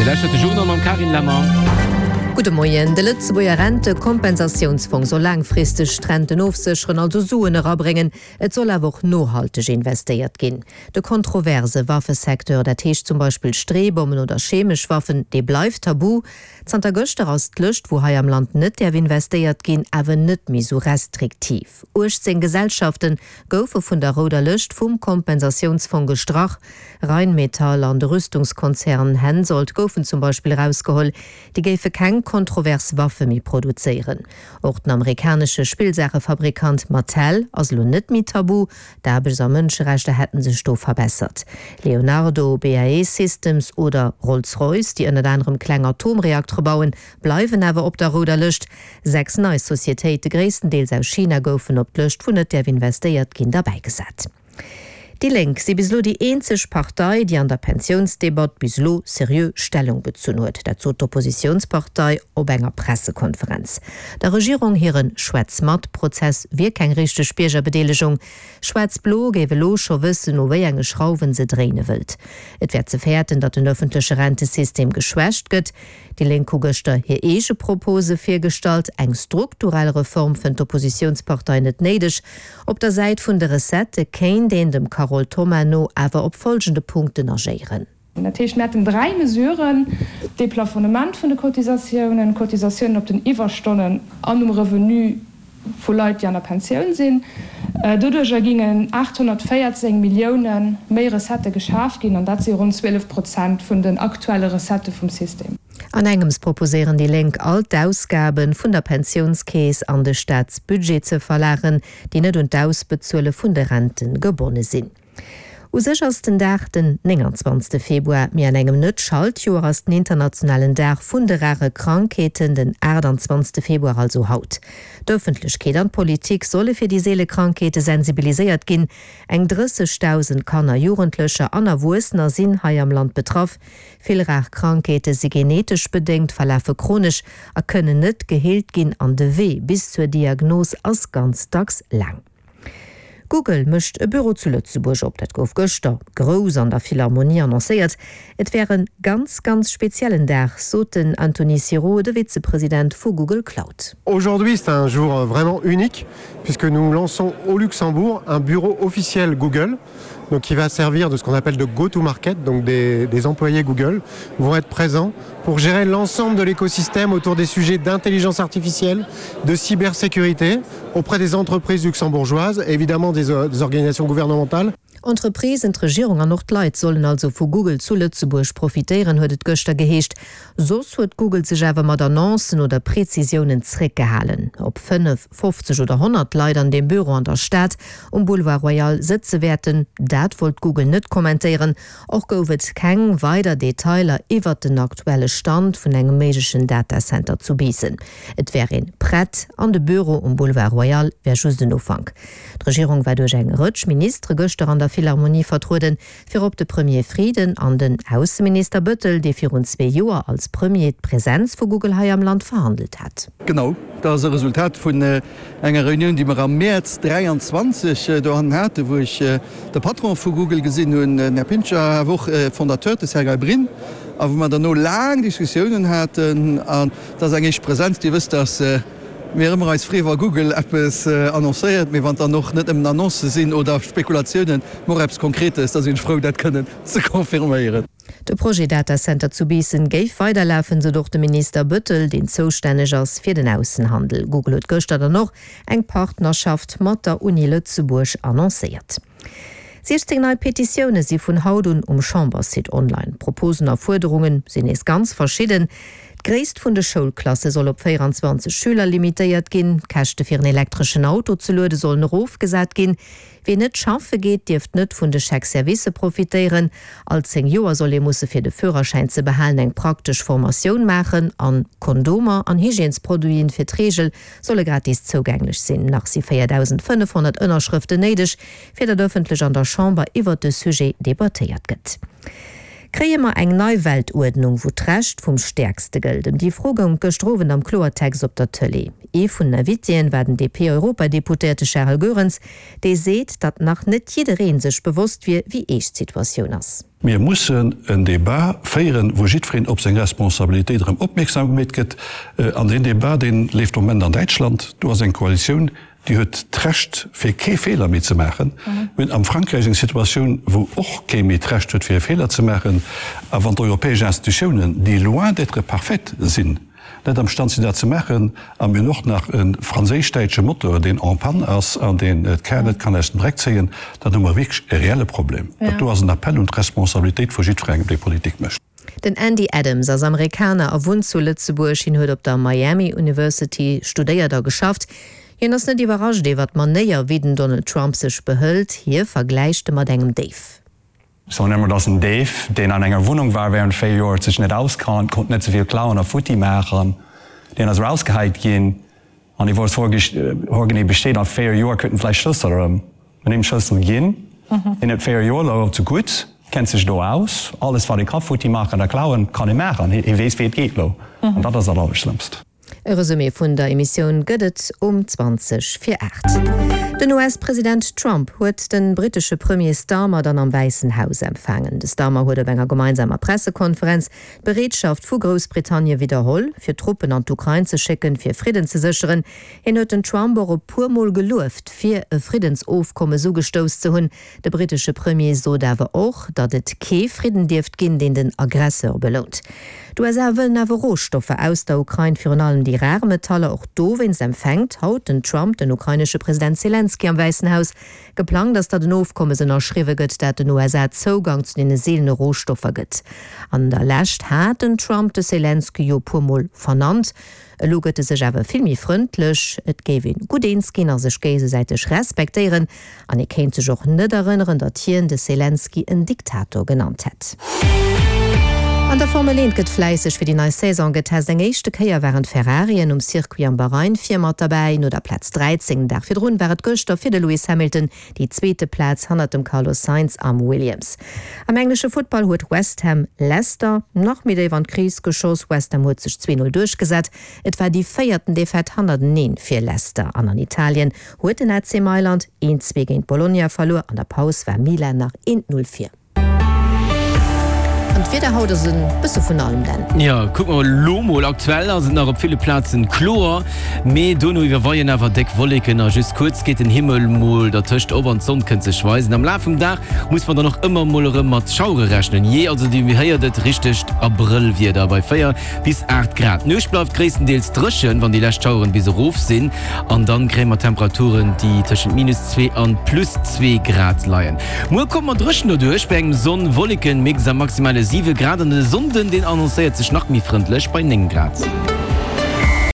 Dir lauschtert de Journal mam Carine Lemmer. Gudde Moien. De Lëtzebuerger Rentekompensatiounsfong soll laangfristeg d'Renten ofsécheren, also Suen erabréngen. Et soll awer och nohalteg investéiert ginn. De kontroverse Waffesecteur, dat heescht zum Beispill Streebommen oder chemesch Waffen, dee bleift tabu. Zanter gëschter ass d'Lëscht, wou hei am Land net däerf investéiert ginn, awer net méi sou restriktiv. 18 Gesellschafte goufe vun der rouder Lëscht vum Kompensatiounsfong gestrach. Rheinmetall an de Rüstungskonzern Hensoldt goufen zum Beispill erausgeholl. Déi géife keng kontrovers Waffe méi produzéieren. Och den amerikanesche Spillsaachefabrikant Mattel ass elo net méi tabu. D'Aarbechts a Mënscherechter hätten sech do verbessert. Leonardo, BAE Systems oder Rolls-Royce, déi ënnert anerem kleng Atomreaktere bauen, bleiwen awer op der rouder Lëscht. 6 nei Societéite, gréisstendeels aus China, goufen op d'Lëscht, wou net däerf investéiert ginn, derbäigesat. Déi Lénk si bis elo déi eenzeg Partei, déi an der Pensiounsdebatt bis elo seriö Stellung bezunn huet. Dat sot d'Oppositiounspartei op enger Pressekonferenz. Der Regierung hire Schwätz-mat-Prozess wier keng richteg Biergerbedeelegung. Schwaarz-Blo géif elo scho wëssen, u wéi enge Schrauwen se dréine wëllt. Et wär ze fäerten, datt den ëffentleche Rentesystem geschwächt gëtt. Déi Lénk hu gëschter hir eege Propose virgestallt. Eng strukturell Reform fënnt d'Oppositiounspartei net néideg. Op der Säit vun de Recettë kéint een dem Carole Thoma no awer op folgende Punkten agéieren. Dat heescht, mir hätten 3 Mesuren, Deplafonnement vun de Cotisatiounen, Cotisatiounen op den Iwwerstonnen an um Revenu vu Leit, déi an der Pensioun sinn. Doduerjer gingen 814 Millioune méi Recettë geschaf ginn, an dat si ronn 12 Prozent vun den aktuelle Recettë vum System. An engems proposéieren déi Lénk, all d'Ausgabe vun der Pensiounskeess an de Staatsbudget ze verlagen, déi net un d'Ausbezuele vun de Rente gebonne sinn. U sech ass den Dag den 29. Februar, mee an engem Net-Schaltjoer ass den internationalen Dag vun de rare Krankheeten den 28. Februar, also haut. D'Ëffentlechkeet an d'Politik solle fir déi seele Krankheete sensibiliséiert ginn. Eng 30.000 Kanner, Jugendlecher an Erwuessener sinn hei am Land betraff. Vill rar Krankheete si genetesch bedéngt, verlafe chronesch a kënnen net geheelt ginn an de Wee bis zur Diagnos ass ganz dacks laang. Google mécht e Büro zu Lëtzebuerg op. Dat gouf gëschter grouss an der Philharmonie annoncéiert. Et wär e ganz, ganz speziellen Dag, sot den Anthony Sirot, de Vizepresident vu Google Cloud. Aujourd'hui, c'est un jour vraiment unique puisque nous lançons au Luxembourg un bureau officiel Google. donc qui va servir de ce qu'on appelle de go-to-market, donc des, des employés Google vont être présents pour gérer l'ensemble de l'écosystème autour des sujets d'intelligence artificielle, de cybersécurité auprès des entreprises luxembourgeoises, évidemment des, euh, des organisations gouvernementales. Entreprisen, d'Regierung an och d'Leit sollen also vu Google zu Lëtzebuerg profitéieren, huet et gëschter geheescht. Soss huet Google sech awer mat Annoncen oder Prezisiounen zréckgehalen. Ob 5, 50 oder 100 Leit an deem Büro an der Stad um Boulevard Royal sëtze wäerten, dat wollt Google net kommentéieren. Och gouf et keng weider Detailer iwwert den aktuelle Stand vun engem méiglechen Datacenter zu Biissen. Et wär een prett an de Büro um Boulevard Royal wär just en Ufank. D'Regierung war duerch eng Rëtsch Ministere gëschter an der Philharmonie vertrueden, virop de Premier Frieden an den Ausseminister Bëttel, dee virun zwee Joer als Premier d'Presenz vu Google hei am Land verhandelt hat. Genau, dat ass e Resultat vun enger Reunioun, déi mer am Mäerz 23 dohannen haten, wou ech de Patron vu Google gesinn hunn, den Här Pincher, awer och e Fondateur, de Sergey Brin, a wou mer derno laang Diskussiounen haten. An dat ass eng éischt Presenz. Dir wësst, dass mir ëmmer eis freeë wa Google eppes annoncéiert, mee wann et dann och net nëmmen Annoncë sinn oder Spekulatiounen, mee och eppes Konkretes, da sinn ech frou, dat kënnen ze confirméieren. De Projet Datacenter zu Biissen géif weiderlafen, sot och de Minister Bëttel, deen zoustänneg ass fir den Aussenhandel. Google huet gëschter dann och eng Partnerschaft mat der Uni Lëtzebuerg annoncéiert. 16 nei Petitioune si vun haut un um Chamberssite online. D'Proposen a Fuerderunge sinn nees ganz verschidden. D'Gréisst vun de Schoulklasse soll op 24 Schüler limitéiert ginn, d'Käschte fir en elektreschen Auto ze luede sollen erofgesat ginn, Wien net schaffe geet, dierft net vun de Chèque-servicë profitéieren. All 10 Joer soll ee musse fir de Führerschäin ze behalen eng praktesch Formatioun maachen an Kondomer an Hygiènesproduiten fir d'Reegel solle gratis zougänglech sinn. Nach si 4.500 Ënnerschrëften néideg, fir datt ëffentlech an der Chamber iwwert de Sujet debattéiert gëtt. Kréie mer eng nei Weltuerdnung, wou d'Recht vum Stäerkste gëllt? Ëm déi Fro goung et gëschter Owend am Kloertext op der Tëlee. Ee vun den Invitéen war den DP-Europadeputéierte Charel Goerens, dee seet, datt nach net jidderee sech bewosst wier, wéi eescht d'Situatioun ass. Mir mussen en Débat féieren, wou jiddwereen op seng Responsabilitéit erëm opmierksam gemeet gëtt. An deen Débat, dee leeft de Moment an Däitschland. Do ass eng Koalitioun, déi huet d'Recht, fir kee Feeler méi ze maachen. Mir hunn am Frankräich eng Situatioun, wou och kee méi d'Recht huet, fir e Feeler ze maachen. A wann d'europäesch Institutiounen, déi loin d'être parfaites sinn, net am Stand sinn dat ze maachen, a mir hunn och nach e franséisch-däitsche Motor, deen en panne ass an deen d'Kar net kann aus dem Dreck zéien, dann hu mer wierklech e reelle Problem. Dat do ass en Appel un d'Responsabilitéit vu jiddwerengem, dee Politik mécht. Den Andy Adams ass Amerikaner a wunnt zu Lëtzebuerg. Hien huet op der Miami University studéiert a geschafft. Hien ass net iwwerrascht iwwer d'Manéier, wéi den Donald Trump sech behëlt. Hie vergläicht e mat engem Déif. Soen ëmmer, et ass en Déif, deen an enger Wunnung war während 4 Joer, huet sech net auskannt, konnt net souvill klauen a futti maachen, deen ass erausgeheit ginn an hie wousst hoergenee Bescheed. A 4 Joer kritt en vläicht Schlëssel erëm. Mir hunn him Schlëssel ginn, hien huet 4 Joer elo zu gutt, kennt sech do aus, alles wat ee ka futti maachen a klauen, kann e maachen, hie weess wéi et geet elo an dat ass dat Allerschlëmmst. E Resumé vun der Emissioun gëtt et um 20 vir 8. Den US-President Trump huet de brittesche Premier Starmer dann am Wäissen Haus empfaangen. De Starmer huet op enger gemeinsamer Pressekonferenz d'Bereetschaft vu Groussbritannie widderholl, fir Truppen an d'Ukrain ze schécken, fir Fridden ze sécheren. Hien huet den Trump och e puer Mol gelueft, fir e Friddensofkommes ugestouss ze hunn. De brittesche Premier sot awer och, datt et kee Fridden dierft ginn, deen den Aggresseur belount. D'USA wëllen awer Rohstoffer aus der Ukrain, virun allem déi rar Metaller. Och dowéinst empfänkt haut den Trump den ukrainesche President Selenskyj am Wäissen Haus. Geplangt ass, datt en Ofkommes ënnerschriwwe gëtt, dat den USA Zougang zu deene seelene Rohstoffer gëtt. An der Lescht hat den Trump de Selenskyj jo e puer Mol vernannt. Elo gëtt e sech awer vill méi frëndlech, et géif een gutt eens ginn a sech géigesäiteg respektéieren. An e kéint sech och net erënneren, datt hien de Selenskyj en Diktator genannt hätt. An der Formel 1 gëtt fläisseg fir déi nei Saison getest. Eng éischte Kéier waren d'Ferrarien um Circuit am Bahrain vir mat derbäi. No der Plaz 13 den Dag virdrun war et gëschter fir de Lewis Hamilton déi zweete Plaz hannert dem Carlos Sainz am Williams. Am englesche Futtball huet West Ham Leicester nach méi déif an d'Kris geschoss. West Ham huet sech 2 0 duerchgesat. Et war déi véierten Defaite hannerteneen fir Leicester. An an Italien huet den AC Mailand 1, 2 géint Bologna verluer. An der Paus war Milan nach 1, 0 vir. An d'Wieder haut ass e bësse vun allem, Dan. Jo, kucke mer elo mol. Aktuell ass et nach op ville Plazen kloer, mee dono iwwerweien awer déck Wolleken a just kuerz geet den Himmel mol dertëscht op an d'Sonn kënnt sech weisen. Am Laf vum Dag muss mer dann och ëmmer mol erëm mat Schauere rechnen. Jee, also Dir héiert et, richtegt Abrëllwieder bei 4 bis 8 Grad. D'Nuecht bleift gréisstendeels dréchen, wann déi lescht Schaueren bis erof sinn, an dann kréie mer Temperaturen, déi tëschent minus 2 an plus 2 Grad leien. Muer komme mer dréchen doduerch bei engem Sonn-Wolleken-Mix a maximale 7 Grad, an de Sonnden, deen annoncéiert sech nach méi frëndlech bei 9 Grad.